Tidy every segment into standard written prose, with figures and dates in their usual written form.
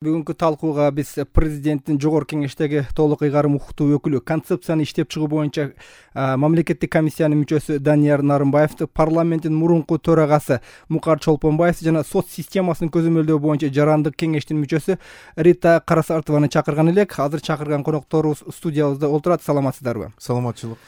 Бүгүнкү талкууга биз президенттин жогорку кеңештеги толук ыйгарым укуктуу өкүлү, концепцияны иштеп чыгуу боюнча мамлекеттик комиссиянын мүчөсү Данияр Нарымбаевди, парламенттин мурунку төрагасы Мукар Чолпонбаевди жана сот системасын көзөмөлдөө боюнча жарандык кеңештин мүчөсү Рита Карасартованы чакырган элек. Азыр чакырган конокторубуз студиябызда олтурат. Саламатсыздарбы? Саламатчылык.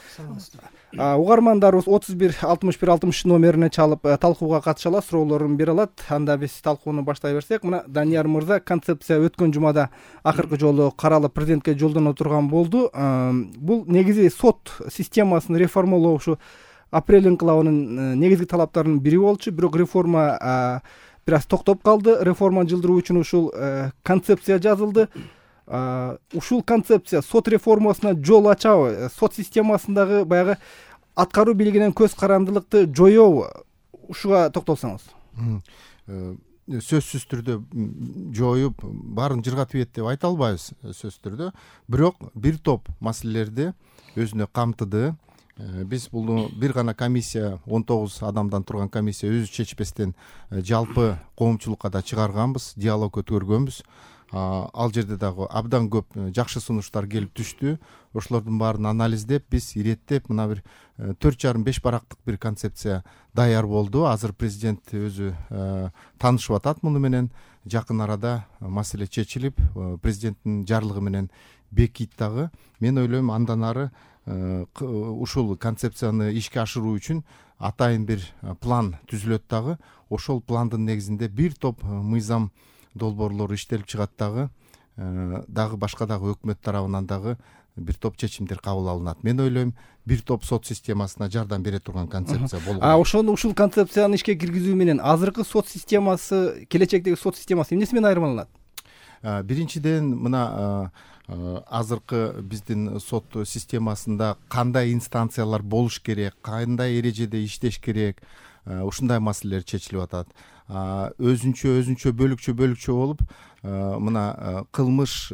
Угармандарыбыз 31-61-60 номерине чалып талкууга катыша алат, суроолорун бере алат. Анда биз талкууну баштай берсек, мына Данияр мырза, концепция өткөн жумада акыркы жолу каралып президентке жолдоно турган болду. Бул негизи сот системасын реформалоо ушу апрель инкылабынын негизги талаптарынын бири болчу. Бирок реформа бир аз токтоп калды. Реформаны жылдыруу үчүн ушул концепция жазылды. Ушул концепция сот реформасына жол ачабы? Сот системасындагы баягы аткаруу бийлигинен көз карандылыкты жоёбу? Ушуга токтолсоңуз. Сөзсүз түрдө жоюп, баарын жыргатып ийет деп айта албайбыз сөзсүз түрдө. Бирок бир топ маселелерди өзүнө камтыды. Биз бул бир гана комиссия, 19 адамдан турган комиссия өзү чечпестен жалпы коомчулукка да чыгарганбыз, диалог өткөргөнбүз. Ал жерде дагы абдан көп жакшы сунуштар келип түштү. Ошолордун баарын анализдеп, биз иреттеп мына бир 4,5 барактык бир концепция даяр болду. Азыр президент өзү таанышып атат муну менен. Жакын арада маселе чечилип, президенттин жарлыгы менен бекийт дагы. Мен ойлойм, андан ары ушул концепцияны ишке ашыруу үчүн атайын бир план түзүлөт дагы. Ошол пландын негизинде бир топ мыйзам долбоорлору иштелип чыгат дагы башка дагы өкмөт тарабынан дагы бир топ чечимдер кабыл алынат. Мен ойлойм, бир топ сот системасына жардам бере турган концепция болгон. Ушул концепцияны ишке киргизүү менен азыркы сот системасы, келечектеги сот системасы эмнеси менен айырмаланат? Биринчиден, мына азыркы биздин сот системасында кандай инстанциялар болуш керек, кандай эрежеде иштеш керек, ушундай маселелер чечилип атат. Өзүнчө бөлүкчө болуп, мына кылмыш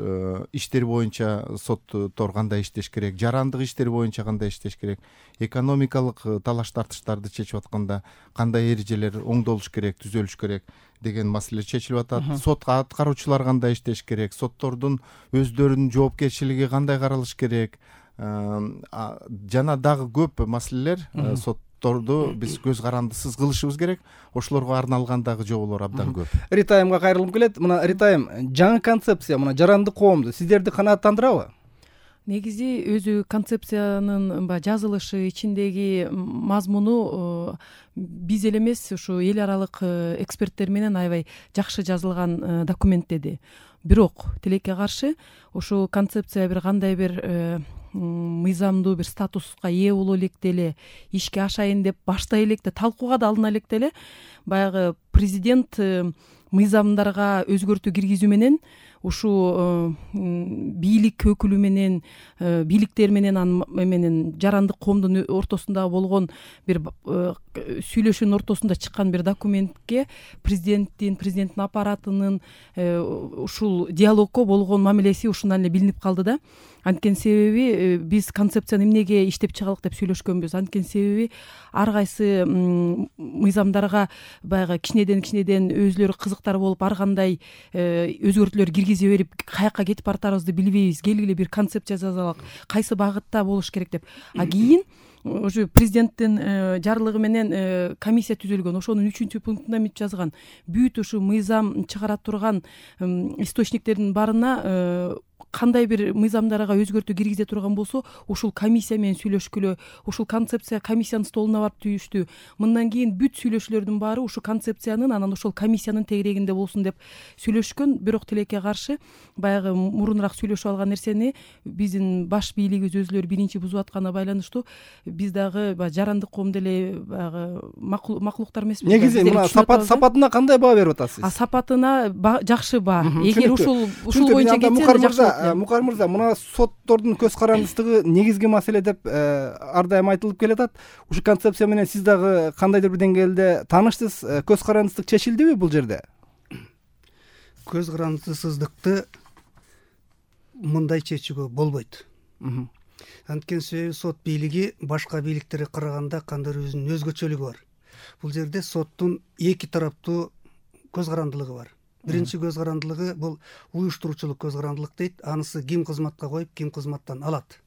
иштери боюнча соттор кандай иштеш керек, жарандык иштери боюнча кандай иштеш керек, экономикалык талаш тартыштарды чечип атканда кандай эрежелер оңдолуш керек, түзөлүш керек деген маселелер чечилип атат. Сот аткаруучулар кандай иштеш керек, соттордун өздөрүнүн жоопкерчилиги кандай каралыш керек, жана дагы көп маселелер. Сотторду биз көз карандысыз кылышыбыз керек. Ошолорго арналган дагы жоболор абдан көп. Рита айымга кайрылгым келет. Мына Рита айым, жаңы концепция мына жарандык коомду сиздерди канааттандырабы? Негизи өзү концепциянын жазылышы, ичиндеги мазмуну биз эле эмес, ушу эл аралык эксперттер менен аябай жакшы жазылган документ деди. Бирок тилекке каршы ушу концепция бир кандай бир мыйзамдуу бир статуска ээ боло электе эле, ишке ашайын деп баштай электе, талкууга да алына электе эле баягы президент мыйзамдарга өзгөртүү киргизүү менен ушу бийлик өкүлү менен, бийликтер менен жарандык коомдун ортосунда болгон бир сүйлөшүүнүн ортосунда чыккан бир документке президенттин аппаратынын ушул диалогко болгон мамилеси ушундан эле билинип калды да. Анткени себеби биз концепцияны эмнеге иштеп чыгалык деп сүйлөшкөнбүз. Анткени себеби ар кайсы мыйзамдарга баягы кичинеден өзүлөрү кызыктар болуп, ар кандай өзгөртүүлөр киргизе берип, каяка кетип баратарыбызды билбейбиз. Келгиле бир концепция жазалык, кайсы багытта болуш керек деп. Кийин уже президенттин жарлыгы менен комиссия түзүлгөн. Ошонун 3-пунктунда эмне жазган? Бүт ушу мыйзам чыгара турган источниктердин баарына кандай бир мыйзамдарга өзгөртүү киргизе турган болсо, ушул комиссия менен сүйлөшкүлө, ушул концепция комиссиянын столуна барып түштү. Мындан кийин бүт сүйлөшүүлөрдүн баары ушул концепциянын, анан ошол комиссиянын тегерегинде болсун деп сүйлөшкөн. Бирок тилекке каршы баягы мурунураак сүйлөшүп алган нерсени биздин баш бийлигибиз өзүлөрү биринчи бузуп атканына байланыштуу биз дагы баягы коом деле баягы макулуктар эмеспиз. Негизи мына сапатына кандай баа берип атасыз? Сапатына жакшы баа. Эгер ушул боюнча кетсе Мукар мырза, мына соттордун көз карандысыздыгы негизги маселе деп ар дайым айтылып келатат. Ушу концепция менен сиз дагы кандайдыр бир деңгээлде тааныштысыз? Көз карандысыздык чечилдиби бул жерде? Көз карандысыздыкты мындай чечүүгө болбойт. Анткени себеби сот бийлиги башка бийликтерге караганда кандайдыр өзүнүн өзгөчөлүгү бар. Бул жерде соттун эки тараптуу көз карандылыгы бар. Биринчи көз карандылыгы бул уюштуруучулук көз карандылык дейт. Анысы ким кызматка коюп, ким кызматтан алат.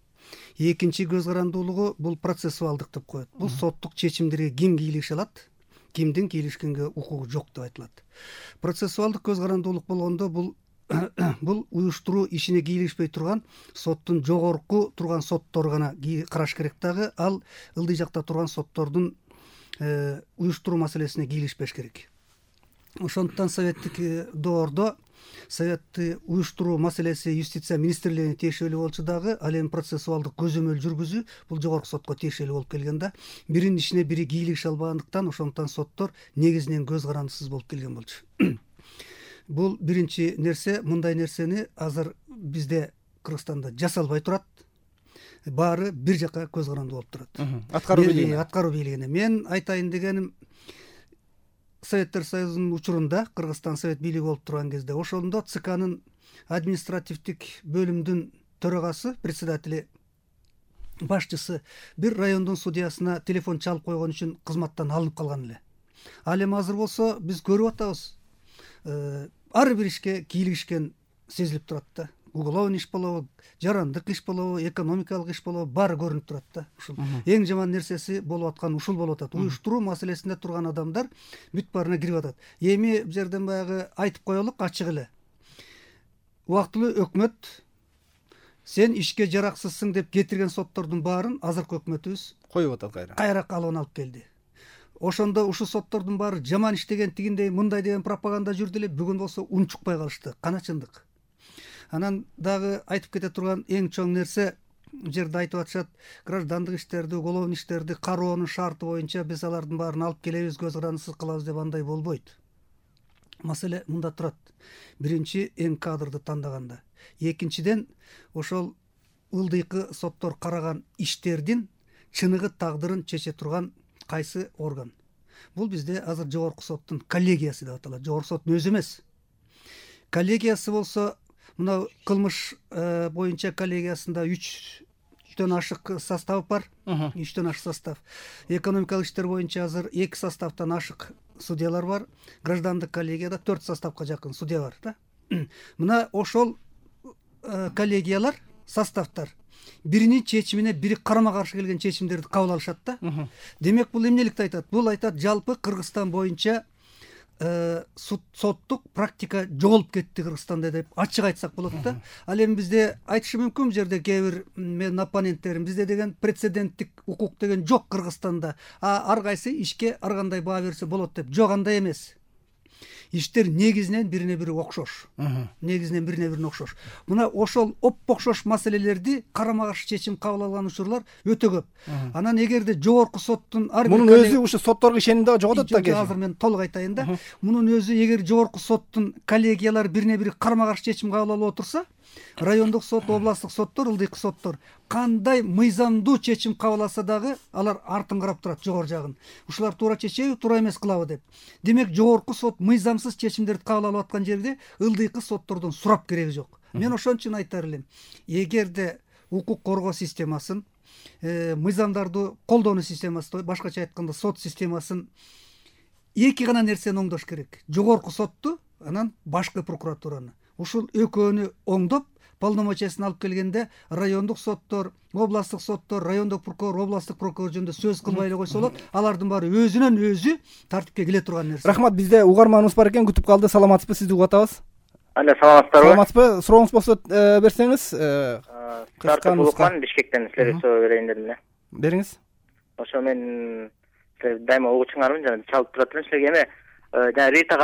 Экинчи көз карандуулугу бул процессуалдык деп коет. Бул соттук чечимдерге ким кийлигише алат, кимдин кийлишкенге укугу жок деп айтылат. Процессуалдык көз карандуулук болгондо бул уюштуруу ишине кийлигишпей турган соттун жогорку турган соттор гана караш керек дагы, ал ылдый жакта турган соттордун уюштуруу маселесине кийлигишпеш керек. Ошондуктан советтик доордо советти уюштуруу маселеси юстиция министрлигине тиешелүү болчу дагы, ал эми процессуалдык көзөмөл жүргүзүү бул жогорку сотко тиешелүү болуп келген да. Биринин ишине бири кийлигише албагандыктан ошондуктан соттор негизинен көз карандысыз болуп келген болчу. Бул биринчи нерсе. Мындай нерсени азыр бизде Кыргызстанда жасалбай турат. Баары бир жака көз карандуу болуп турат. Аткаруу бийлигине. Мен айтайын дегеним, Советтер Союзунун учурунда Кыргызстан совет бийлиги болуп турган кезде ошондо ЦКнын административдик бөлүмдүн төрагасы, председатели, башчысы бир райондун судьясына телефон чалып койгон үчүн кызматтан алынып калган эле. Ал эми азыр болсо биз көрүп атабыз. Ар бир ишке кийлигишкен сезилип турат да. Уголовный иш болобу, жарандык иш болобу, экономикалык иш болобу, баары көрүнүп турат да. Ушул эң жаман нерсеси болуп аткан ушул болуп атат. Уюштуруу маселесинде турган адамдар бүт баарына кирип атат. Эми бул жерден баягы айтып коелук ачык эле. Убактылуу өкмөт сен ишке жараксызсың деп кетирген соттордун баарын азыркы өкмөтүбүз коюп атат, кайра калыбына алып келди. Ошондо ушул соттордун баары жаман иштеген, тигиндей, мындай деген пропаганда жүрдү эле. Бүгүн болсо унчукпай калышты. Кана чындык. Анан дагы айтып кете турган эң чоң нерсе, жерде айтып атышат, граждандык иштерди, уголовный иштерди кароонун шарты боюнча биз алардын баарын алып келебиз, көз карандысыз кылабыз деп, андай болбойт. Маселе мында турат. Биринчи, эң кадрды тандаганда. Экинчиден, ошол ылдыйкы соттор караган иштердин чыныгы тагдырын чече турган кайсы орган? Бул бизде азыр жогорку соттун коллегиясы деп аталат. Жогорку соттун өзү эмес. Коллегиясы болсо, мына кылмыш боюнча коллегиясында 3төн ашык состав бар. 3төн ашык состав. Экономикалык иштер боюнча азыр 2 составтан ашык судьялар бар. Граждандык коллегияда 4 составка жакын судья бар да. Мына ошол коллегиялар, составтар биринин чечимине бири карама каршы келген чечимдерди кабыл алышат да. Демек бул эмнеликти айтат? Бул айтат, жалпы Кыргызстан боюнча соттук практика жоголуп кетти Кыргызстанда деп ачык айтсак болот да. Ал эми бизде айтышы мүмкүн, бул жерде кээ бир менин оппоненттерим, бизде деген прецеденттик укук деген жок Кыргызстанда. Ар кайсы ишке ар кандай баа берсе болот деп. Жок, андай эмес. Иштер негизинен бирине бири окшош. Негизинен бирине бирине окшош. Мына ошол окшош маселелерди карама каршы чечим кабыл алган учурлар өтө көп. Анан эгерде жогорку соттун ар бир мунун өзү ушу сотторго ишеним дагы жоготот да кээ. Азыр мен толук айтайын да. Мунун өзү эгер жогорку соттун коллегиялары бирине бири карама каршы чечим кабыл алып отурса, райондук сот, областтык соттор, ылдыйкы соттор кандай мыйзамдуу чечим кабыл алса дагы алар артын карап турат, жогору жагын. Ушулар туура чечеби, туура эмес кылабы деп. Демек жогорку сот мыйзамсыз чечимдерди кабыл алып аткан жерде ылдыйкы соттордон сурап кереги жок. Мен ошон үчүн айтар элем, эгерде укук коргоо системасын, мыйзамдарды колдонуу системасын, башкача айтканда сот системасын эки гана нерсени оңдош керек. Жогорку сотту, анан башкы прокуратураны. Ушул экөөнү оңдоп, полномочиясын алып келгенде райондук соттор, областтык соттор, райондук прокурор, областтык прокурор жөнүндө сөз кылбай эле койсо болот. Алардын баары өзүнөн өзү тартипке келе турган нерсе. Рахмат, бизде угарманыбыз бар экен, күтүп калды. Саламатсызбы, сизди угуп атабыз. Алло, саламатсыздарбы? Саламатсызбы? Сурооңуз болсо берсеңиз. Сартып Улукман, Бишкектен силерге суроо берейин дедим эле. Бериңиз. Ошо мен дайыма угуучуңармын, жана чалып турат элем силерге. Эми жана Рита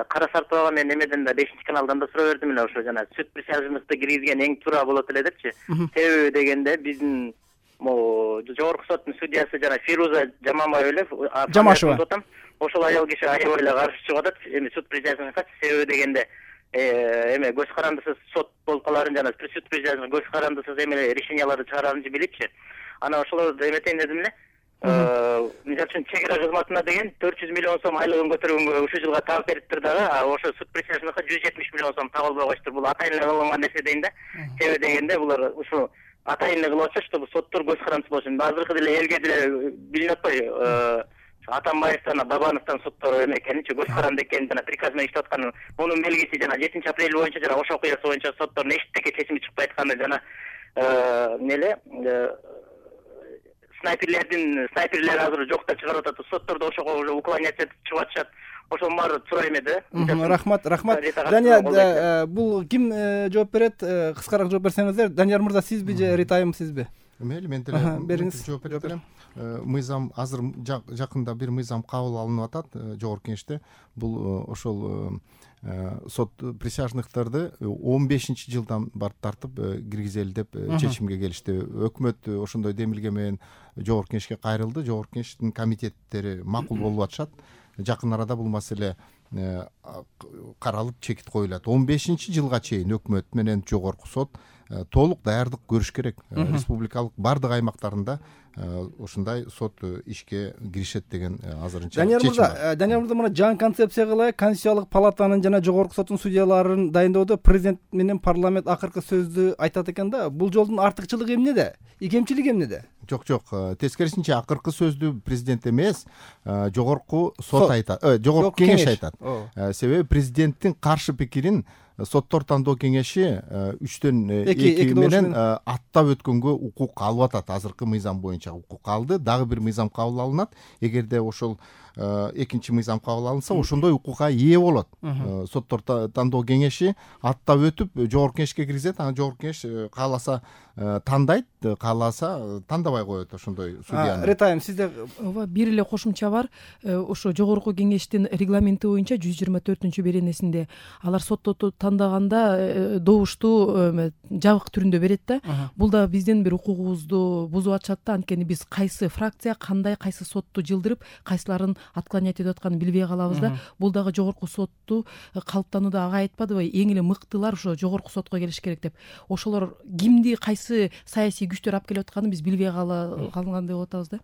Карасартовага мен эмеден да 5-чи каналдан да суроо бердим эле, ошо жана сүт присяжныйдыкты киргизген эң туура болот эле депчи. Себеби дегенде биздин жогорку соттун судьясы жана Фируза Жаманбаева эле, Жамашева. Ошол аял киши аябай эле каршы чыгып атат. Эми сүт присяжныйга себеби дегенде эме көз карандысыз сот болуп каларын жана сүт присяжный көз карандысыз эме решенияларды чыгарарын билипчи. Анан ошолорду эметейин дедим эле. Мисалы үчүн чек ара кызматына деген 400 миллион сом айлыгын көтөргөнгө ушул жылга таап бериптир дагы, ошо суд присяжныйга 170 миллион сом табылбай коюштур. Бул атайын эле кылынган нерсе дейин да. Себеби дегенде булар ушу атайын эле кылып атышат, чтобы соттор көз карандысыз болушун. Азыркы деле элге деле билинип атпайбы? Атамбаевден, Бабановдон соттор эме экенинчи, көз каранды экенин жана приказ менен иштеп атканын, мунун белгиси жана 7 апрель боюнча жана Ош окуясы боюнча соттордун эчтеке чечими чыкпай атканы жана снайперлер азыр жокто чыгарып атат, соттордо ошого уже уклоняться этип чыгып атышат. Ошонун баары туура эме да. Рахмат. Дания, бул ким жооп берет? Кыскараак жооп берсеңиздер. Данияр мырза, сизби же Ритайым сизби? Мейли, мен бериңиз. жооп берем. Мыйзам азыр жакында бир мыйзам кабыл алынып атат жогорку кеңеште. Бул ошол сот присяжныктарды 15-жылдан барып тартып киргизели деп чечимге келишти. Өкмөт ошондой демилге менен жогорку кеңешке кайрылды. Жогорку кеңештин комитеттери макул болуп атышат. Жакын арада бул маселе каралып чекит коюлат. 15-жылга чейин өкмөт менен жогорку сот толук даярдык көрүш керек. Республикалык бардык аймактарында ушундай сот ишке киришет деген азырынча чечим бар. Данияр мырза, мына жаңы концепцияга ылайык Конституциялык палатанын жана жогорку соттун судьяларын дайындоодо президент менен парламент акыркы сөздү айтат экен да. Бул жолдун артыкчылыгы эмнеде? Икемчилиги эмнеде? Жок, тескерисинче акыркы сөздү президент эмес, жогорку сот айтат, жогорку кеңеш айтат. Себеби президенттин каршы пикирин соттор тандоо кеңеши 3/2 менен аттап өткөнгө укук алып атат. Азыркы мыйзам боюнча укук алды. Дагы бир мыйзам кабыл алынат. Эгерде ошол экинчи мыйзам кабыл алынса, ошондой укукка ээ болот. Соттор тандоо кеңеши аттап өтүп жогорку кеңешке киргизет. Анан жогорку кеңеш кааласа тандайт, кааласа тандабай коет ошондой судьяны. Ретайым, сизде ооба бир эле кошумча бар. Ошо жогорку кеңештин регламенти боюнча 124-беренесинде алар сотту тандаганда добушту жабык түрүндө берет да. Бул да биздин бир укугубузду бузуп атышат да. Анткени биз кайсы фракция кандай кайсы сотту жылдырып, кайсыларын отклонять этип атканын билбей калабыз да. Бул дагы жогорку сотту калыптанууда ага айтпадыбы, эң эле мыктылар ошо жогорку сотко келиш керек деп. Ошолор кимди кайсы саясий күчтөр алып келип атканын биз билбей калгандай болуп атабыз да.